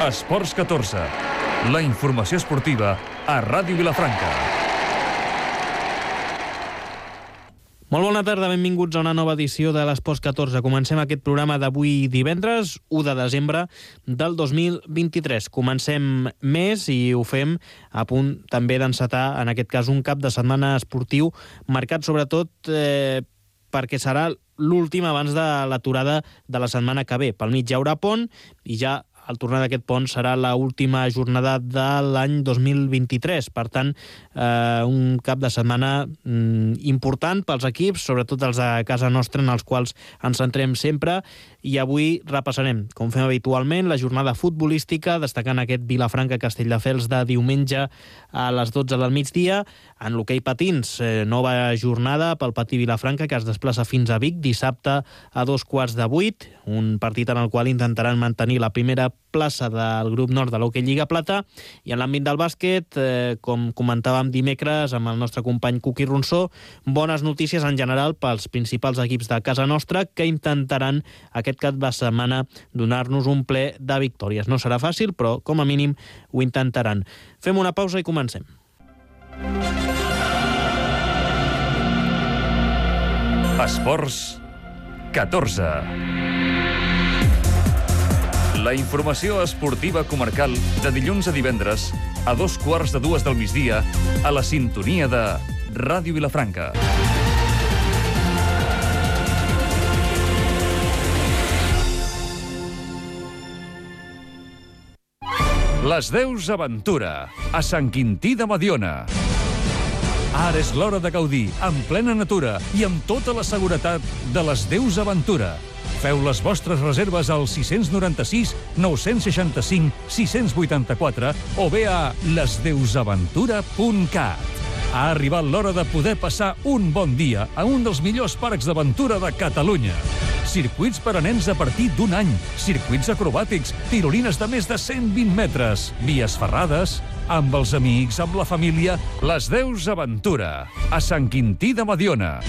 Esports 14, la informació esportiva a Ràdio Vilafranca. Molt bona tarda, benvinguts a una nova edició de l'Esports 14. Comencem aquest programa d'avui divendres, 1 de desembre del 2023. Comencem mes i ho fem a punt també d'encetar, en aquest cas, un cap de setmana esportiu marcat sobretot perquè serà l'últim abans de l'aturada de la setmana que ve. Pel mig hi haurà pont i ja al tornar d'aquest pont serà l'última jornada de l'any 2023. Per tant, un cap de setmana important pels equips, sobretot els de casa nostra, en els quals ens centrem sempre. I avui repassarem, com fem habitualment, la jornada futbolística, destacant aquest Vilafranca-Castelldefels de diumenge a les 12 del migdia. En l'hoquei patins, nova jornada pel Patí Vilafranca, que es desplaça fins a Vic dissabte a 7:45, un partit en el qual intentaran mantenir la primera plaça del grup nord de l'Hoquei Lliga Plata. I en l'àmbit del bàsquet, com comentàvem dimecres amb el nostre company Cuqui Ronsó, bones notícies en general pels principals equips de casa nostra, que intentaran aquest cap de setmana donar-nos un ple de victòries. No serà fàcil, però com a mínim ho intentaran. Fem una pausa i comencem. Esports 14. La informació esportiva comarcal de dilluns a divendres a 2:15 del migdia a la sintonia de Ràdio Vilafranca. Les Deus Aventura, a Sant Quintí de Mediona. Ara és l'hora de gaudir, en plena natura i amb tota la seguretat de les Deus Aventura. Feu les vostres reserves al 696 965 684 o bé a lesdeusaventura.cat. Ha arribat l'hora de poder passar un bon dia a un dels millors parcs d'aventura de Catalunya. Circuits per a nens a partir d'un any, circuits acrobàtics, tirolines de més de 120 metres, vies ferrades, amb els amics, amb la família, les Deus Aventura, a Sant Quintí de Mediona.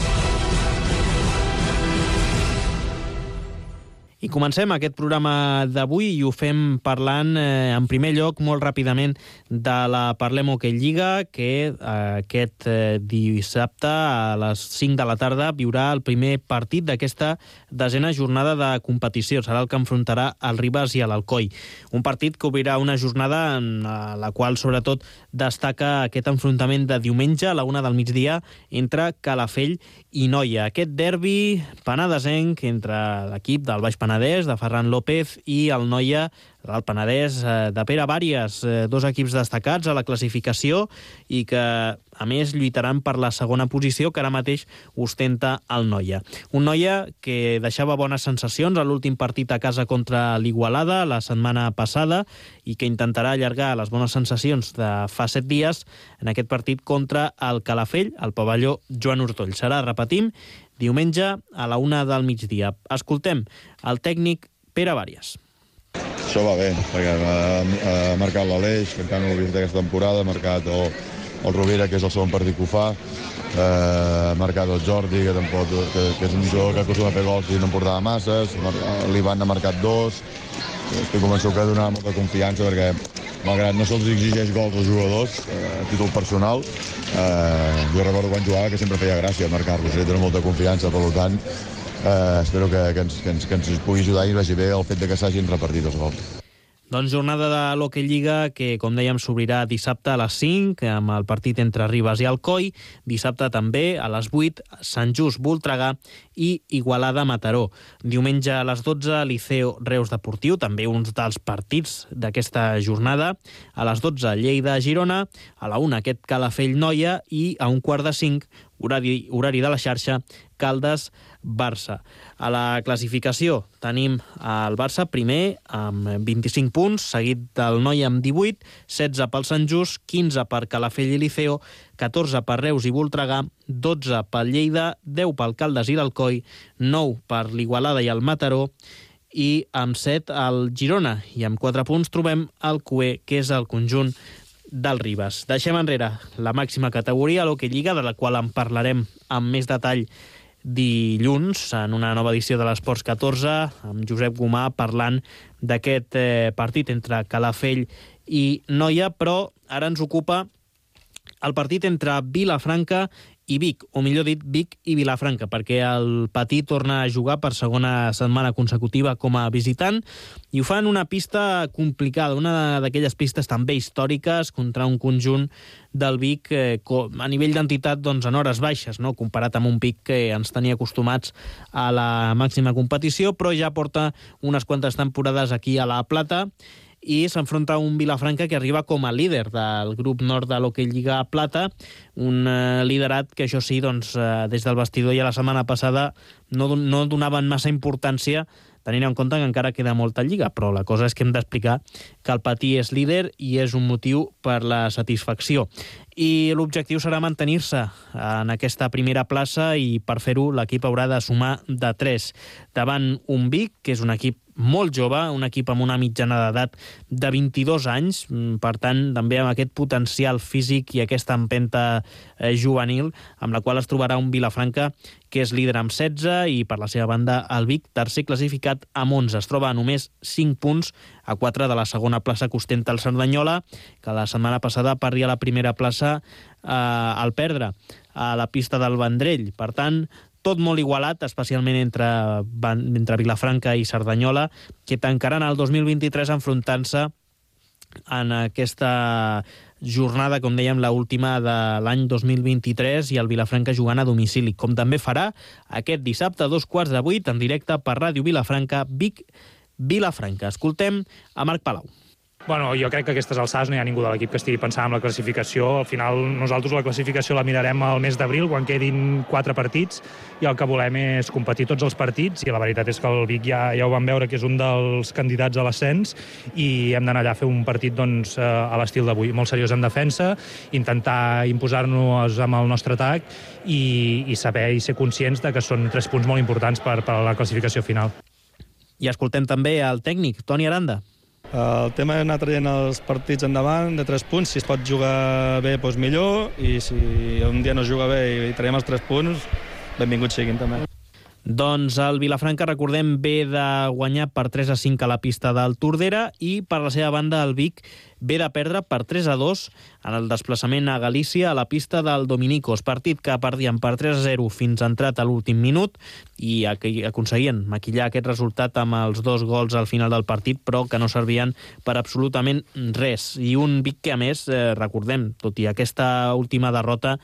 I comencem aquest programa d'avui i ho fem parlant, en primer lloc, molt ràpidament, de la Parlem Hoquei Lliga, que aquest dissabte a les 5 de la tarda viurà el primer partit d'aquesta desena jornada de competició. Serà el que enfrontarà el Ribes i l'Alcoi. Un partit que obrirà una jornada en la qual, sobretot, destaca aquest enfrontament de diumenge a la 1 del migdia entre Calafell i Noia. Aquest derbi penedesenc entre l'equip del Baix Penedès, de Ferran López, i el Noia, del Penedès, de Pere Vàries, dos equips destacats a la classificació i que, a més, lluitaran per la segona posició que ara mateix ostenta el Noia. Un Noia que deixava bones sensacions a l'últim partit a casa contra l'Igualada la setmana passada i que intentarà allargar les bones sensacions de fa 7 dies en aquest partit contra el Calafell, al pavelló Joan Ortoll. Serà, repetim, diumenge a la 1 del migdia. Escoltem el tècnic Pere Vàries. Això va bé, perquè ha marcat l'Aleix, que encara no l'ha vist aquesta temporada, ha marcat el Rovira, que és el segon partit que ho fa, ha marcat el Jordi, que és un jugador que acostuma a fer gols i no en portava masses, l'Ivan ha marcat 2, estic convençut que donarà molta confiança perquè, malgrat no se'ls exigeix gols als jugadors a títol personal, jo recordo quan jugava que sempre feia gràcia marcar-los, dona molta confiança, per tant, espero que ens pugui ajudar i vagi bé el fet de que s'hagin repartit els gols. Doncs jornada de l'Hoquei Lliga que, com dèiem, s'obrirà dissabte a les 5 amb el partit entre Ribes i Alcoi. Dissabte també a les 8 Sant Just Voltregà i Igualada Mataró. Diumenge a les 12 Liceo Reus Deportiu, també un dels partits d'aquesta jornada. A les 12 Lleida Girona, a la 1 aquest Calafell Noia i a 4:45 horari de la xarxa Caldes Barça. A la classificació tenim el Barça primer amb 25 punts, seguit del Noia amb 18, 16 pel Sant Just, 15 per Calafell i Liceo, 14 per Reus i Voltregà, 12 pel Lleida, 10 pel Caldes i l'Alcoi, 9 per l'Igualada i el Mataró i amb 7 el Girona. I amb 4 punts trobem el Cué, que és el conjunt del Ribes. Deixem enrere la màxima categoria, l'Hoquei Lliga, de la qual en parlarem amb més detall dilluns en una nova edició de l'Esports 14 amb Josep Gomà parlant d'aquest partit entre Calafell i Noia, però ara ens ocupa el partit entre Vilafranca i Vic, o millor dit, Vic i Vilafranca, perquè el Patí torna a jugar per segona setmana consecutiva com a visitant i ho fa en una pista complicada, una d'aquelles pistes també històriques contra un conjunt del Vic a nivell d'entitat en hores baixes, no? Comparat amb un Vic que ens tenia acostumats a la màxima competició, però ja porta unes quantes temporades aquí a La Plata i s'enfronta a un Vilafranca que arriba com a líder del grup nord de l'Hockey Lliga Plata, un liderat que això sí, des del vestidor ja la setmana passada no donaven massa importància, tenint en compte que encara queda molta lliga, però la cosa és que hem d'explicar que el Patí és líder i és un motiu per la satisfacció. I l'objectiu serà mantenir-se en aquesta primera plaça i per fer-ho l'equip haurà de sumar de 3 davant un Vic, que és un equip molt jove, un equip amb una mitjana d'edat de 22 anys, per tant, també amb aquest potencial físic i aquesta empenta juvenil, amb la qual es trobarà un Vilafranca que és líder amb 16 i, per la seva banda, el Vic, tercer classificat amb 11. Es troba a només 5 punts a 4 de la segona plaça que ostenta el Cerdanyola, que la setmana passada perdia la primera plaça al perdre a la pista del Vendrell. Per tant, tot molt igualat, especialment entre Vilafranca i Cerdanyola, que tancaran el 2023 enfrontant-se en aquesta jornada, com dèiem, l'última de l'any 2023, i el Vilafranca jugant a domicili, com també farà aquest dissabte a 7:15 en directe per Ràdio Vilafranca, Vic Vilafranca. Escoltem a Marc Palau. Bueno, jo crec que a aquestes alçades no hi ha ningú de l'equip que estigui pensant en la classificació. Al final, nosaltres la classificació la mirarem al mes d'abril, quan quedin 4 partits, i el que volem és competir tots els partits, i la veritat és que el Vic ja ho vam veure, que és un dels candidats a l'ascens, i hem d'anar allà a fer un partit a l'estil d'avui, molt seriós en defensa, intentar imposar-nos amb el nostre atac i saber i ser conscients de que són 3 punts molt importants per a la classificació final. I escoltem també el tècnic, Toni Aranda. El tema és anar traient els partits endavant de 3 punts. Si es pot jugar bé, doncs millor, i si un dia no es juga bé i traiem els 3 punts, benvinguts siguin també. Doncs el Vilafranca, recordem, ve de guanyar per 3-5 a la pista del Tordera, i per la seva banda el Vic ve de perdre per 3-2 en el desplaçament a Galícia a la pista del Dominicos, partit que perdien per 3-0 fins entrat a l'últim minut, i aconseguien maquillar aquest resultat amb els 2 gols al final del partit, però que no servien per absolutament res. I un Vic que, a més, recordem, tot i aquesta última derrota,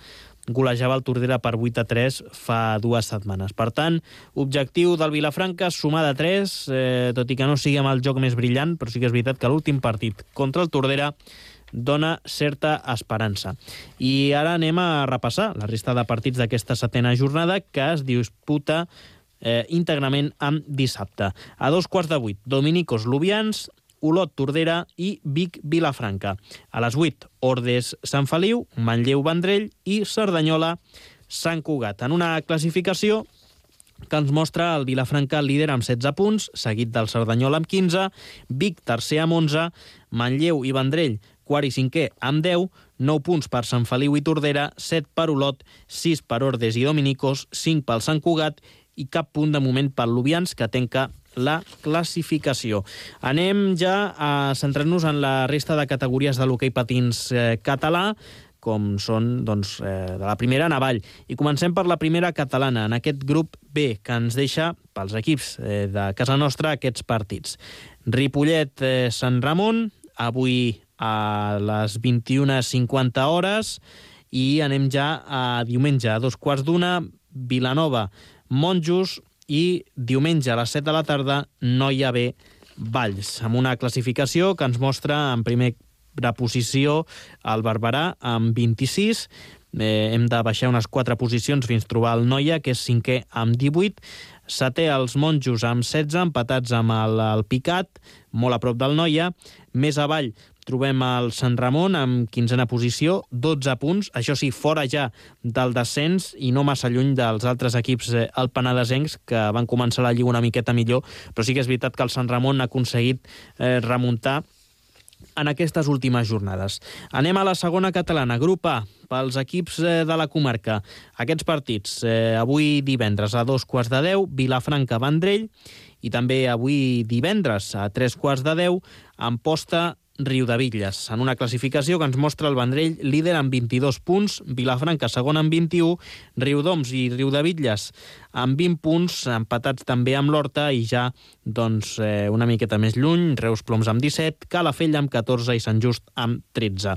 golejava el Tordera per 8-3 fa 2 setmanes. Per tant, objectiu del Vilafranca, sumar de 3, tot i que no sigui amb el joc més brillant, però sí que és veritat que l'últim partit contra el Tordera dona certa esperança. I ara anem a repassar la resta de partits d'aquesta 7a jornada, que es disputa íntegrament amb dissabte. A 7:15, Dominicos Lubians, Olot Tordera i Vic Vilafranca. A les 8, Ordes Sant Feliu, Manlleu Vendrell i Cerdanyola Sant Cugat. En una classificació que ens mostra el Vilafranca líder amb 16 punts, seguit del Cerdanyola amb 15, Vic tercer amb 11, Manlleu i Vendrell quart i cinquè amb 10, 9 punts per Sant Feliu i Tordera, 7 per Olot, 6 per Ordes i Dominicos, 5 pel Sant Cugat i cap punt de moment pel Lubians, que tanca la classificació. Anem ja a centrar-nos en la resta de categories de l'hoquei patins català, com són de la primera Navall. I comencem per la primera catalana, en aquest grup B, que ens deixa pels equips de casa nostra aquests partits. Ripollet-Sant Ramon, avui a les 21:50 hores, i anem ja a diumenge, a 2:15, Vilanova-Monjos, i diumenge a les 7 de la tarda Noia B Valls, amb una classificació que ens mostra en primera posició el Barberà amb 26, hem de baixar unes 4 posicions fins trobar el Noia, que és 5è amb 18, 7è els Monjos amb 16, empatats amb el Picat, molt a prop del Noia. Més avall trobem el Sant Ramon amb 15a posició, 12 punts, això sí, fora ja del descens i no massa lluny dels altres equips alpenadesencs que van començar la Lliga una miqueta millor, però sí que és veritat que el Sant Ramon ha aconseguit remuntar en aquestes últimes jornades. Anem a la segona catalana, grup A, pels equips de la comarca. Aquests partits, avui divendres a 2:15, Vilafranca-Vendrell, i també avui divendres a 3:10, Amposta Riudebitlles, en una classificació que ens mostra el Vendrell líder amb 22 punts, Vilafranca segon amb 21, Riudoms i Riudebitlles amb 20 punts, empatats també amb l'Horta, i ja una miqueta més lluny, Reus Ploms amb 17, Calafell amb 14 i Sant Just amb 13.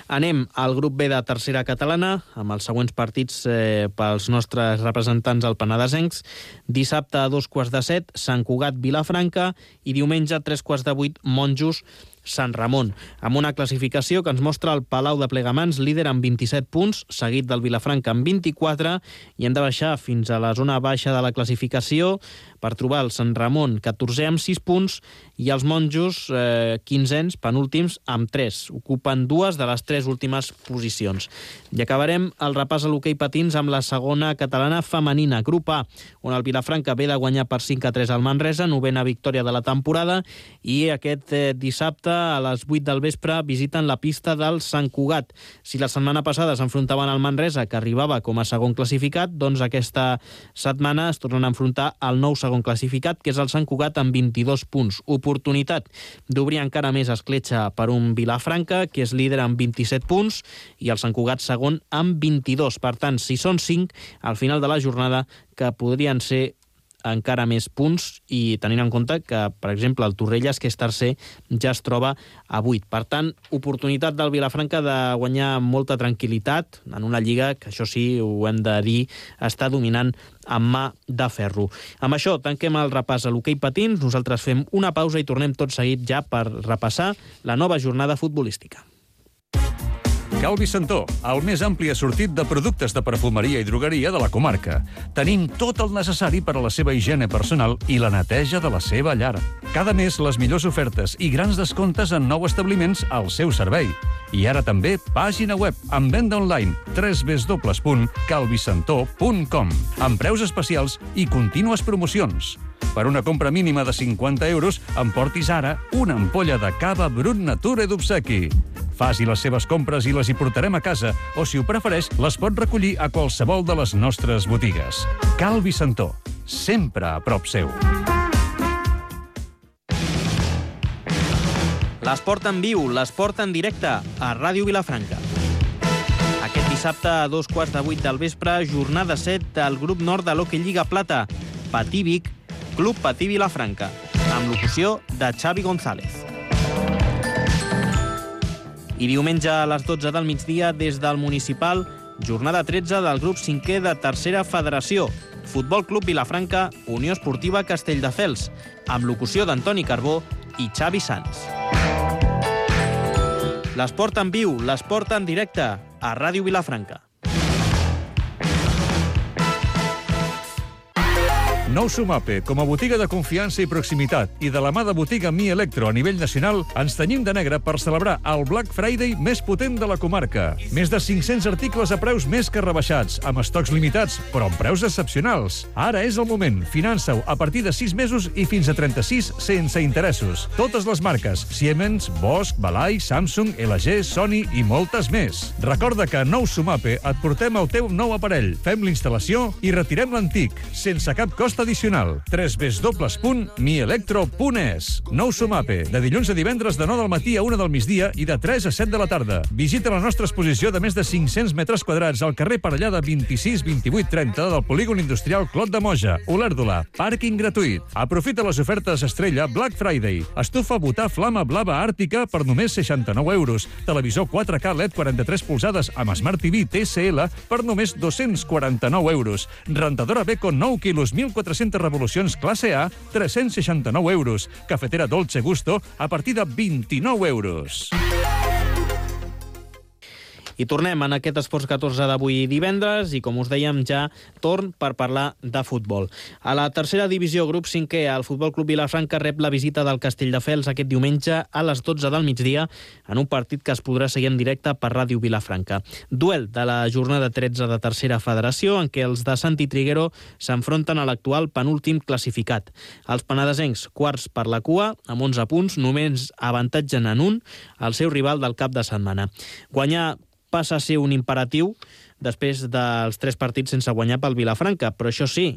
Anem al grup B de tercera catalana, amb els següents partits pels nostres representants al Penedesencs. Dissabte a 2:15, Sant Cugat Vilafranca, i diumenge a 3:08, Monjos Sant Ramon, amb una classificació que ens mostra el Palau de Plegamans líder amb 27 punts, seguit del Vilafranca amb 24, i hem de baixar fins a la zona baixa de la classificació per trobar el Sant Ramon 14è amb 6 punts i els Monjos 15ens, penúltims, amb 3. Ocupen dues de les 3 últimes posicions. I acabarem el repàs a l'hoquei patins amb la segona catalana femenina, grup A, on el Vilafranca ve de guanyar per 5-3 al Manresa, novena victòria de la temporada, i aquest dissabte a les 8 del vespre visiten la pista del Sant Cugat. Si la setmana passada s'enfrontaven al Manresa, que arribava com a segon classificat, doncs aquesta setmana es tornen a enfrontar al nou segon classificat, que és el Sant Cugat, amb 22 punts. Oportunitat d'obrir encara més escletxa per un Vilafranca, que és líder amb 27 punts, i el Sant Cugat segon amb 22. Per tant, si són 5, al final de la jornada, que podrien ser encara més punts, i tenint en compte que, per exemple, el Torrelles, que és tercer, ja es troba a 8. Per tant, oportunitat del Vilafranca de guanyar molta tranquil·litat en una lliga que, això sí, ho hem de dir, està dominant amb mà de ferro. Amb això tanquem el repàs a l'hoquei patins. Nosaltres fem una pausa i tornem tot seguit ja per repassar la nova jornada futbolística. Calvi Santó, el més ampli assortit de productes de perfumeria i drogueria de la comarca. Tenim tot el necessari per a la seva higiene personal i la neteja de la seva llar. Cada mes les millors ofertes i grans descomptes en nous establiments al seu servei. I ara també pàgina web amb venda online www.calvisantó.com, amb preus especials i contínues promocions. Per una compra mínima de 50 euros, emportis ara una ampolla de cava Brut Nature d'obsequi. Faci les seves compres i les hi portarem a casa, o si ho prefereix, les pot recollir a qualsevol de les nostres botigues. Calvi Santó, sempre a prop seu. L'esport en viu, l'esport en directe, a Ràdio Vilafranca. Aquest dissabte a 2:15 del vespre, jornada 7 del grup nord de l'Hockey Lliga Plata, Patí Vic, Club Patí Vilafranca, amb locució de Xavi González. I diumenge a les 12 del migdia, des del municipal, jornada 13 del grup 5è de tercera federació, Futbol Club Vilafranca, Unió Esportiva Castelldefels, amb locució d'Antoni Carbó i Xavi Sans. L'esport en viu, l'esport en directe, a Ràdio Vilafranca. Nou Sumape, com a botiga de confiança i proximitat i de la mà de botiga Mi Electro a nivell nacional, ens tenyim de negre per celebrar el Black Friday més potent de la comarca. Més de 500 articles a preus més que rebaixats, amb estocs limitats, però amb preus excepcionals. Ara és el moment. Finança-ho a partir de 6 mesos i fins a 36 sense interessos. Totes les marques: Siemens, Bosch, Balai, Samsung, LG, Sony i moltes més. Recorda que a Nou Sumape et portem el teu nou aparell, fem l'instal·lació i retirem l'antic, sense cap cost addicional. www.mielectro.es. Nou Sumape, de dilluns a divendres de 9 del matí a 1 del migdia i de 3 a 7 de la tarda. Visita la nostra exposició de més de 500 metres quadrats al carrer Parellada 26 28 30 del polígon industrial Clot de Moja, Olèrdola. Pàrquing gratuït. Aprofita les ofertes estrella Black Friday. Estufa Butà Flama Blava Àrtica per només 69 euros. Televisor 4K LED 43 polzades amb Smart TV TCL per només 249 euros. Rentadora Beko 9 quilos 1.400 revolucions classe A, 369 euros. Cafetera Dolce Gusto a partir de 29 euros. I tornem en aquest Esports 14 d'avui divendres i, com us dèiem, ja torn per parlar de futbol. A la tercera divisió, grup 5è, el Futbol Club Vilafranca rep la visita del Castelldefels aquest diumenge a les 12 del migdia en un partit que es podrà seguir en directe per Ràdio Vilafranca. Duel de la jornada 13 de tercera federació en què els de Santi Triguero s'enfronten a l'actual penúltim classificat. Els penedesencs, quarts per la cua, amb 11 punts, només avantatgen en un el seu rival del cap de setmana. Guanyar passa a ser un imperatiu després dels 3 partits sense guanyar pel Vilafranca. Però això sí,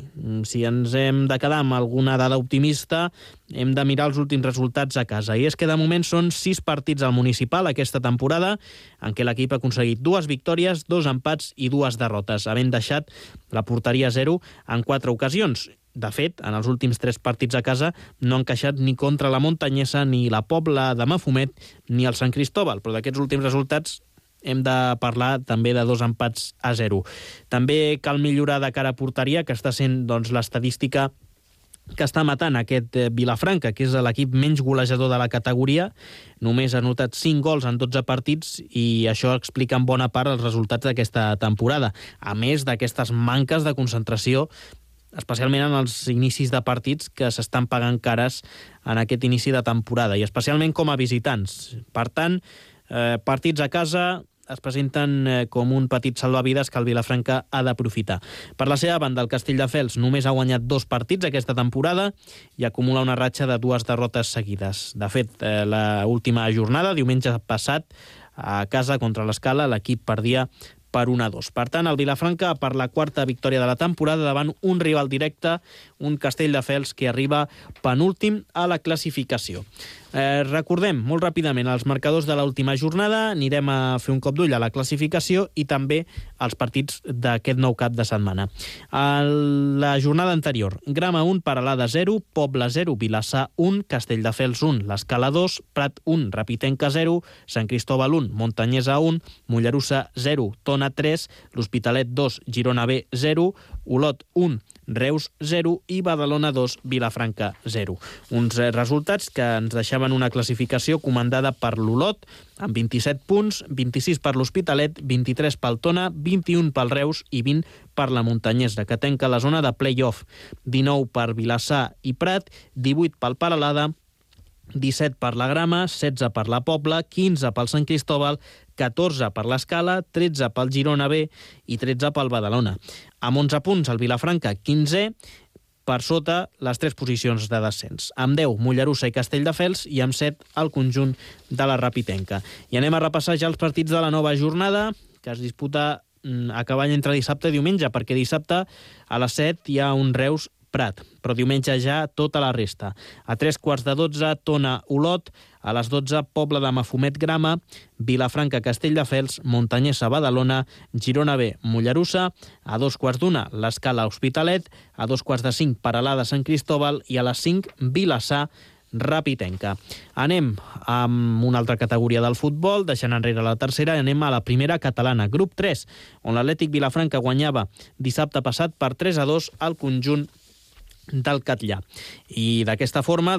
si ens hem de quedar amb alguna dada optimista, hem de mirar els últims resultats a casa. I és que de moment són 6 partits al municipal aquesta temporada, en què l'equip ha aconseguit 2 victòries, 2 empats i 2 derrotes, havent deixat la porteria 0 en 4 ocasions. De fet, en els últims 3 partits a casa no han encaixat ni contra la Montanyesa, ni la Pobla de Mafumet, ni el Sant Cristóbal. Però d'aquests últims resultats hem de parlar també de 2 empats a 0. També cal millorar de cara a porteria, que està sent l'estadística que està matant aquest Vilafranca, que és l'equip menys golejador de la categoria. Només ha anotat 5 gols en 12 partits i això explica en bona part els resultats d'aquesta temporada. A més d'aquestes manques de concentració, especialment en els inicis de partits que s'estan pagant cares en aquest inici de temporada, i especialment com a visitants. Per tant, partits a casa es presenten com un petit salvavides que el Vilafranca ha d'aprofitar. Per la seva banda, el Castelldefels només ha guanyat 2 partits aquesta temporada i acumula una ratxa de 2 derrotes seguides. De fet, l'última jornada, diumenge passat, a casa contra l'Escala, l'equip perdia per 1-2. Per tant, el Vilafranca per la 4ª victòria de la temporada davant un rival directe, un Castelldefels que arriba penúltim a la classificació. Recordem molt ràpidament els marcadors de l'última jornada, anirem a fer un cop d'ull a la classificació i també als partits d'aquest nou cap de setmana. A la jornada anterior, Grama 1, Peralada 0, Pobla 0, Vilassar 1, Castelldefels 1, l'Escala 2, Prat 1, Rapitenca 0, Sant Cristóbal 1, Montanyesa 1, Mollerussa 0, Tona 3, l'Hospitalet 2, Girona B 0, Olot 1, Reus 0 i Badalona 2, Vilafranca 0. Uns resultats que ens deixaven una classificació comandada per l'Olot, amb 27 punts, 26 per l'Hospitalet, 23 pel Tona, 21 pel Reus i 20 per la Montanyesa, que tanca la zona de play-off. 19 per Vilassar i Prat, 18 pel Peralada, 17 per la Grama, 16 per la Pobla, 15 pel Sant Cristóbal, 14 per l'Escala, 13 pel Girona B i 13 pel Badalona. Amb 11 punts el Vilafranca, 15è, per sota les 3 posicions de descens. Amb 10, Mollerussa i Castelldefels, i amb 7, el conjunt de la Rapitenca. I anem a repassar ja els partits de la nova jornada, que es disputa a cavall entre dissabte i diumenge, perquè dissabte a les 7 hi ha un Reus Prat, però diumenge ja tota la resta. A 3:15, Tona Olot, a les 12, Pobla de Mafumet Grama, Vilafranca Castelldefels, Montanyesa Badalona, Girona B Mollerussa, a 2:15, l'Escala Hospitalet, a 2:45, Peralada Sant Cristóbal i a les 5, Vilassar Rapitenca. Anem amb una altra categoria del futbol, deixant enrere la tercera, i anem a la primera catalana, grup 3, on l'Atlètic Vilafranca guanyava dissabte passat per 3-2 al conjunt del Catllà. I d'aquesta forma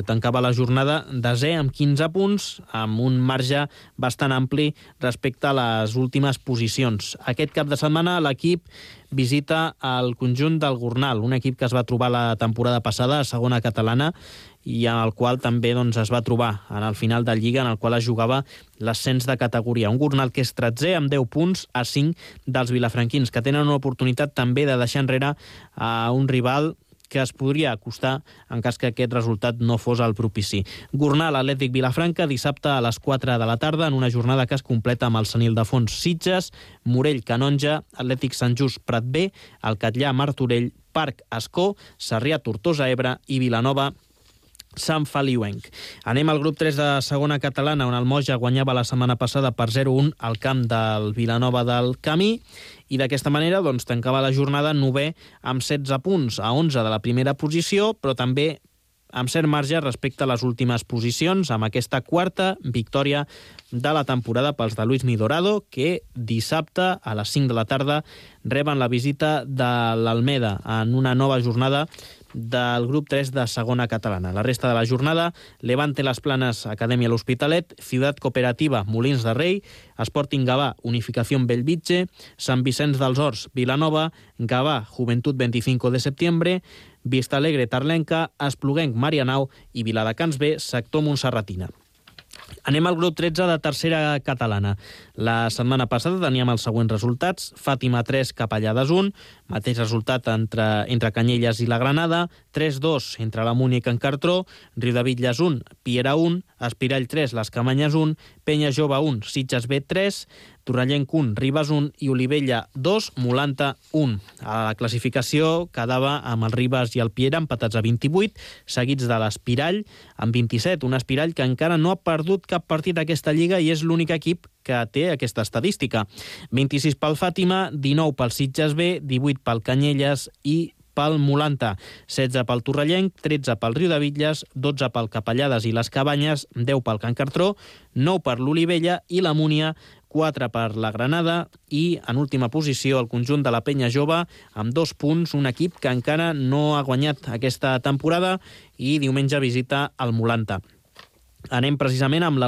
tancava la jornada desè amb 15 punts, amb un marge bastant ampli respecte a les últimes posicions. Aquest cap de setmana l'equip visita el conjunt del Gornal, un equip que es va trobar la temporada passada a segona catalana i en el qual també es va trobar en el final de Lliga, en el qual es jugava l'ascens de categoria. Un Gornal que és 13è amb 10 punts a 5 dels vilafranquins, que tenen una oportunitat també de deixar enrere a un rival que es podria acostar en cas que aquest resultat no fos el propici. Gornal, Atlètic Vilafranca, dissabte a les 4 de la tarda, en una jornada que es completa amb el Sant Ildefons Sitges, Morell Canonja, Atlètic Sant Just Prat B, el Catllà Martorell, Parc Ascó, Sarrià Tortosa Ebre i Vilanova Sant Feliuenc. Anem al grup 3 de segona catalana, on el Moja guanyava la setmana passada per 0-1 al camp del Vilanova del Camí, i d'aquesta manera tancava la jornada 9è amb 16 punts, a 11 de la primera posició, però també amb cert marge respecte a les últimes posicions, amb aquesta 4a victòria de la temporada pels de Luis Midorado, que dissabte a les 5 de la tarda reben la visita de l'Almeda en una nova jornada del grup 3 de segona catalana. La resta de la jornada, Levante Las Planes, Acadèmia L'Hospitalet, Ciutat Cooperativa, Molins de Rei, Sporting Gavà, Unificació Bellvitge, Sant Vicenç dels Horts, Vilanova, Gavà, Joventut 25 de setembre, Vista Alegre, Tarlenca, Espluguenc, Marianao i Viladecans B, sector Montserratina. Anem al grup 13 de tercera catalana. La setmana passada teníem els següents resultats. Fàtima 3, Capellades 1, mateix resultat entre Canyelles i la Granada, 3-2 entre la Múnia i Can Cartró, Riudebitlles 1, Piera 1, Espirall 3, Les Camanyes 1, Penya Jove 1, Sitges B 3, Torrellenc 1, Ribes 1 i Olivella 2, Molanta 1. A la classificació quedava amb el Ribes i el Piera empatats a 28, seguits de l'Espirall amb 27, un Espirall que encara no ha perdut cap partit d'aquesta lliga i és l'únic equip que té aquesta estadística. 26 pel Fàtima, 19 pel Sitges B, 18 pel Canyelles i pel Molanta, 16 pel Torrellenc, 13 pel Riudebitlles, 12 pel Capellades i les Cabanyes, 10 pel Can Cartró, 9 per l'Olivella i la Múnia, 4 per la Granada i, en última posició, el conjunt de la Penya Jove amb 2 punts, un equip que encara no ha guanyat aquesta temporada i diumenge visita el Molanta. Anem precisament amb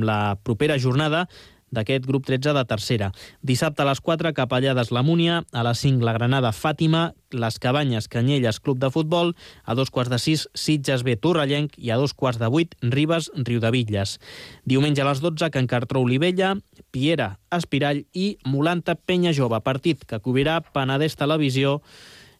la propera jornada d'aquest grup 13 de tercera. Dissabte a les 4, Capellades la Múnia, a les 5 la Granada Fàtima, les Cabanyes Canyelles Club de Futbol, a 2:15 Sitges B Torrellenc i a 2:08 Ribes Riudebitlles. Diumenge a les 12 Can Cartró Olivella, Piera Espirall i Molanta Penya Jove, partit que cobrirà Penedès Televisió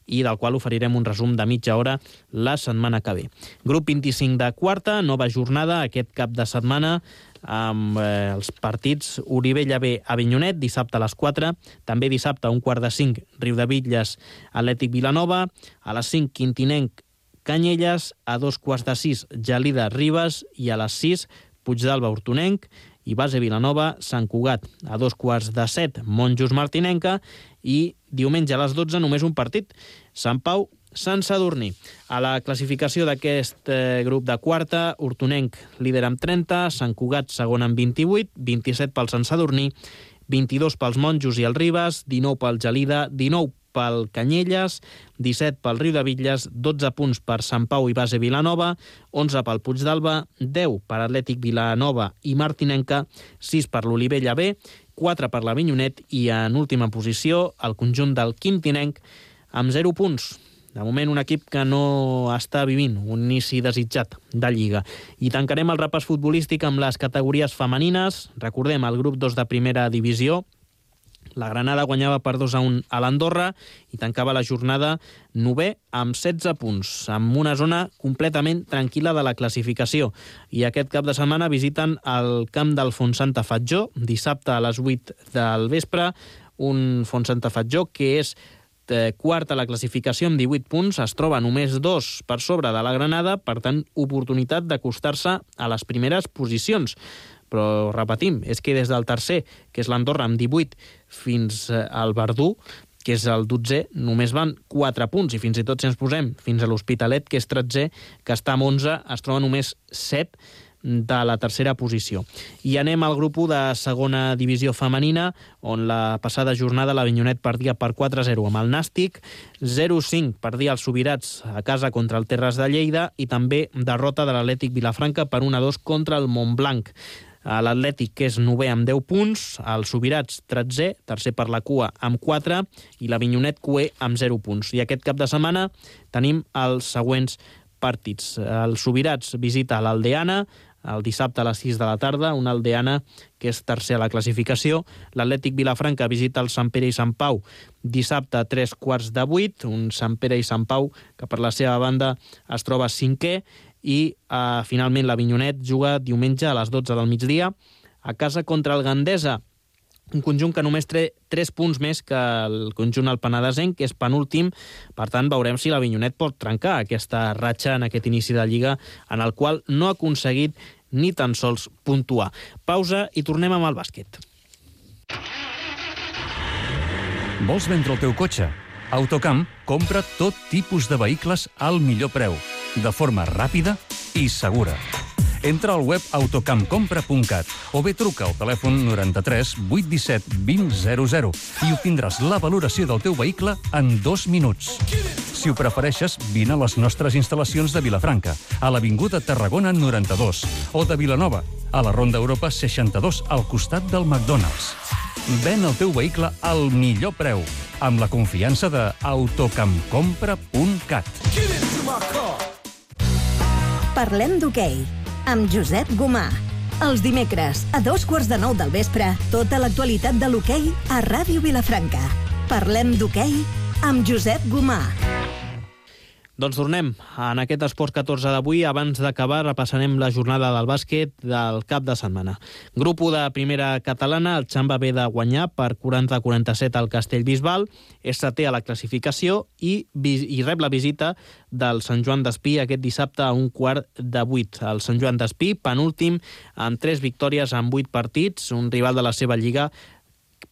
i del qual oferirem un resum de mitja hora la setmana que ve. Grup 25 de quarta, nova jornada aquest cap de setmana amb els partits Olivella B Avinyonet, dissabte a les 4, també dissabte a 4:05 Riudebitlles Atlètic Vilanova, a les 5 Quintinenc Canyelles, a 2:15 Gelida Ribes i a les 6 Puigdàlber Hortonenc i Base Vilanova Sant Cugat, a 2:15 Monjos Martinenca i diumenge a les 12 només un partit, Sant Pau Sant Sadurní. A la classificació d'aquest grup de quarta, Hortonenc líder amb 30, Sant Cugat segon amb 28, 27 pel Sant Sadurní, 22 pels Monjos i el Ribes, 19 pel Gelida, 19 pel Canyelles, 17 pel Riudebitlles, 12 punts per Sant Pau i Base Vilanova, 11 pel Puigdàlber, 10 per Atlètic Vilanova i Martinenca, 6 per l'Olivella B, 4 per l'Avinyonet i en última posició el conjunt del Quintinenc amb 0 punts. De moment un equip que no està vivint un inici desitjat de Lliga. I tancarem el repàs futbolístic amb les categories femenines. Recordem el grup 2 de primera divisió. La Granada guanyava per 2-1 a l'Andorra i tancava la jornada 9è amb 16 punts, amb una zona completament tranquil·la de la classificació. I aquest cap de setmana visiten el camp del Fontsanta Fatjó, dissabte a les 8 del vespre, un Fontsanta Fatjó que és quart a la classificació amb 18 punts, es troba només 2 per sobre de la Granada, per tant, oportunitat d'acostar-se a les primeres posicions. Però, repetim, és que des del tercer, que és l'Andorra amb 18, fins al Verdú, que és el 12è, només van 4 punts, i fins i tot si ens posem fins a l'Hospitalet, que és 13è, que està amb 11, es troba només 7 de la tercera posició. I anem al grup 1 de segona divisió femenina, on la passada jornada l'Avinyonet perdia per 4-0 amb el Nàstic, 0-5 perdia els Subirats a casa contra el Terres de Lleida i també derrota de l'Atlètic Vilafranca per 1-2 contra el Montblanc. L'Atlètic, que és 9è amb 10 punts, el Subirats 13è, tercer per la cua amb 4 i l'Avinyonet cué amb 0 punts. I aquest cap de setmana tenim els següents partits. El Subirats visita l'Aldeana el dissabte a les 6 de la tarda, una Aldeana que és tercer a la classificació. L'Atlètic Vilafranca visita el Sant Pere i Sant Pau dissabte a 7:45, un Sant Pere i Sant Pau que per la seva banda es troba 5è, i finalment l'Avinyonet juga diumenge a les 12 del migdia a casa contra el Gandesa, un conjunt que només té 3 punts més que el conjunt alpenadesenc, que és penúltim. Per tant, veurem si l'Avinyonet pot trencar aquesta ratxa en aquest inici de Lliga, en el qual no ha aconseguit ni tan sols puntuar. Pausa i tornem amb el bàsquet. Vols vendre el teu cotxe? Autocamp compra tot tipus de vehicles al millor preu, de forma ràpida i segura. Entra al web autocampcompra.cat o bé truca al telèfon 93 817 2000 i obtindràs la valoració del teu vehicle en 2 minuts. Si ho prefereixes, vine a les nostres instal·lacions de Vilafranca, a l'Avinguda Tarragona 92, o de Vilanova, a la Ronda Europa 62, al costat del McDonald's. Ven el teu vehicle al millor preu, amb la confiança de autocampcompra.cat. Parlem d'hoquei, amb Josep Gomà. Els dimecres, a 8:45 del vespre, tota l'actualitat de l'hoquei a Ràdio Vilafranca. Parlem d'hoquei amb Josep Gomà. Doncs tornem. En aquest Esports 14 d'avui, abans d'acabar, repassarem la jornada del bàsquet del cap de setmana. Grup 1 de primera catalana, el Xamba ve de guanyar per 40-47 al Castellbisbal, és setè a la classificació i rep la visita del Sant Joan d'Espí aquest dissabte a 7:15. El Sant Joan d'Espí, penúltim, amb 3 victòries en 8 partits, un rival de la seva lliga,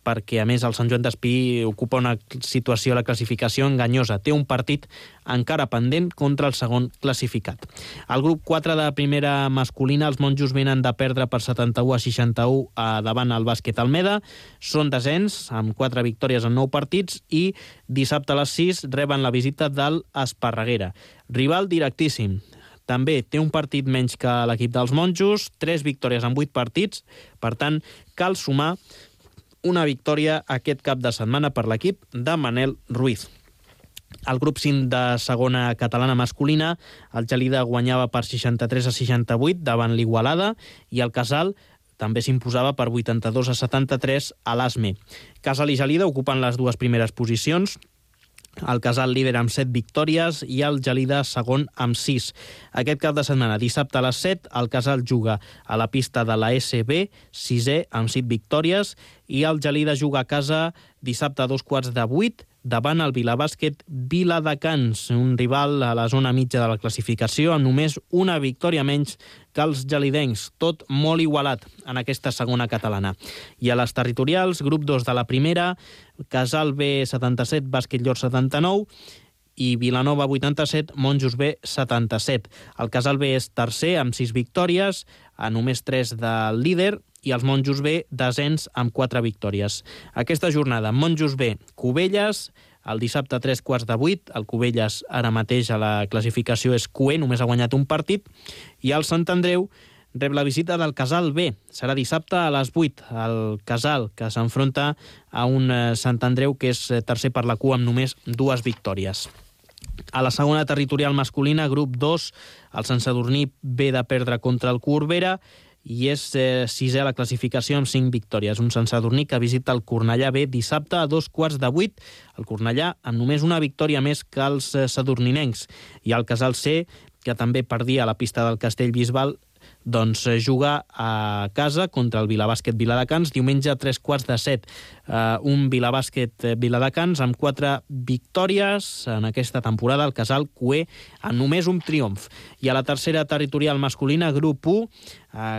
perquè, a més, el Sant Joan d'Espí ocupa una situació a la classificació enganyosa. Té un partit encara pendent contra el segon classificat. Al grup 4 de primera masculina, els monjos venen de perdre per 71-61 davant el bàsquet Almeda. Són desens, amb 4 victòries en 9 partits, i dissabte a les 6 reben la visita del Esparreguera. Rival directíssim. També té un partit menys que l'equip dels monjos, 3 victòries en 8 partits, per tant, cal sumar una victòria aquest cap de setmana per l'equip de Manel Ruiz. Al grup 5 de segona catalana masculina, el Gelida guanyava per 63-68 davant l'Igualada i el Casal també s'imposava per 82-73 a l'Asme. Casal i Gelida ocupen les dues primeres posicions, el Casal líder amb 7 victòries i el Gelida segon amb 6. Aquest cap de setmana, dissabte a les 7, el Casal juga a la pista de la SB, 6è amb 7 victòries, i el Gelida juga a casa dissabte a 7:15 davant el Vilabàsquet Viladecans, un rival a la zona mitja de la classificació amb només una victòria menys que els gelidencs, tot molt igualat en aquesta segona catalana. I a les territorials, grup 2 de la primera, Casal B 77, Bàsquet Llor 79 i Vilanova 87, Monjos B 77. El Casal B és tercer amb 6 victòries, a només 3 del líder, i els Monjos B desens amb 4 victòries. Aquesta jornada, Monjos B, Cubelles, el dissabte a 7:15, el Cubelles ara mateix a la classificació és QE, només ha guanyat un partit, i el Sant Andreu rep la visita del Casal B. Serà dissabte a les 8. El Casal, que s'enfronta a un Sant Andreu que és tercer per la cua amb només 2 victòries. A la segona territorial masculina, grup 2, el Sant Sadurní ve de perdre contra el Corbera i és sisè a la classificació amb 5 victòries. Un Sant Sadurní que visita el Cornellà B dissabte a 7:15. El Cornellà amb només una victòria més que els sadurninencs. I el Casal C, que també perdia a la pista del Castellbisbal, doncs juga a casa contra el Vilabàsquet Viladecans diumenge a 7:15. Un Vilabàsquet Viladecans amb 4 victòries en aquesta temporada, el Casal QE amb només un triomf. I a la tercera territorial masculina, grup 1,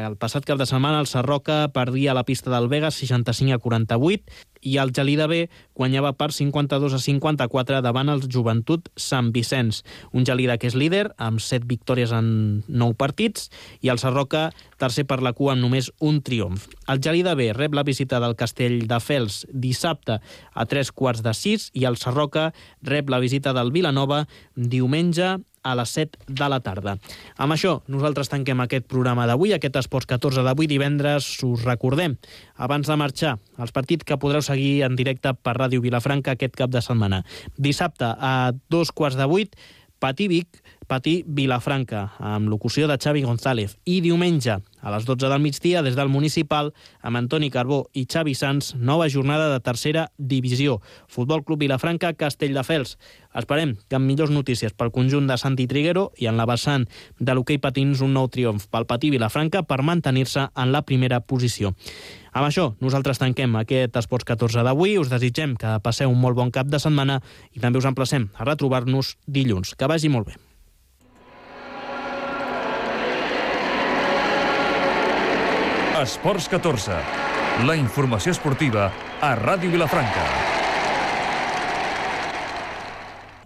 el passat cap de setmana el Sarroca perdia a la pista del Vegas 65-48 i el Gelida B guanyava per 52-54 davant el Joventut Sant Vicenç. Un Gelida que és líder amb 7 victòries en 9 partits i el Sarroca tercer per la cua amb només un triomf. El Gelida B rep la visita del Castelldefels dissabte a 5:45 i el Sarroca rep la visita del Vilanova diumenge a les 7 de la tarda. Amb això, nosaltres tanquem aquest programa d'avui, aquest Esports 14 d'avui, divendres. Us recordem, abans de marxar, els partits que podreu seguir en directe per Ràdio Vilafranca aquest cap de setmana. Dissabte a 7:15, Patí-Vic, Patí-Vilafranca, amb locució de Xavi González. I diumenge, a les 12 del migdia, des del Municipal, amb Antoni Carbó i Xavi Sans, nova jornada de tercera divisió. Futbol Club Vilafranca, Castelldefels. Esperem que amb millors notícies pel conjunt de Santi Triguero i en la vessant de l'hoquei patins un nou triomf pel Patí Vilafranca per mantenir-se en la primera posició. Amb això, nosaltres tanquem aquest Esports 14 d'avui. Us desitgem que passeu un molt bon cap de setmana i també us emplacem a retrobar-nos dilluns. Que vagi molt bé. Esports 14, la informació esportiva a Ràdio Vilafranca.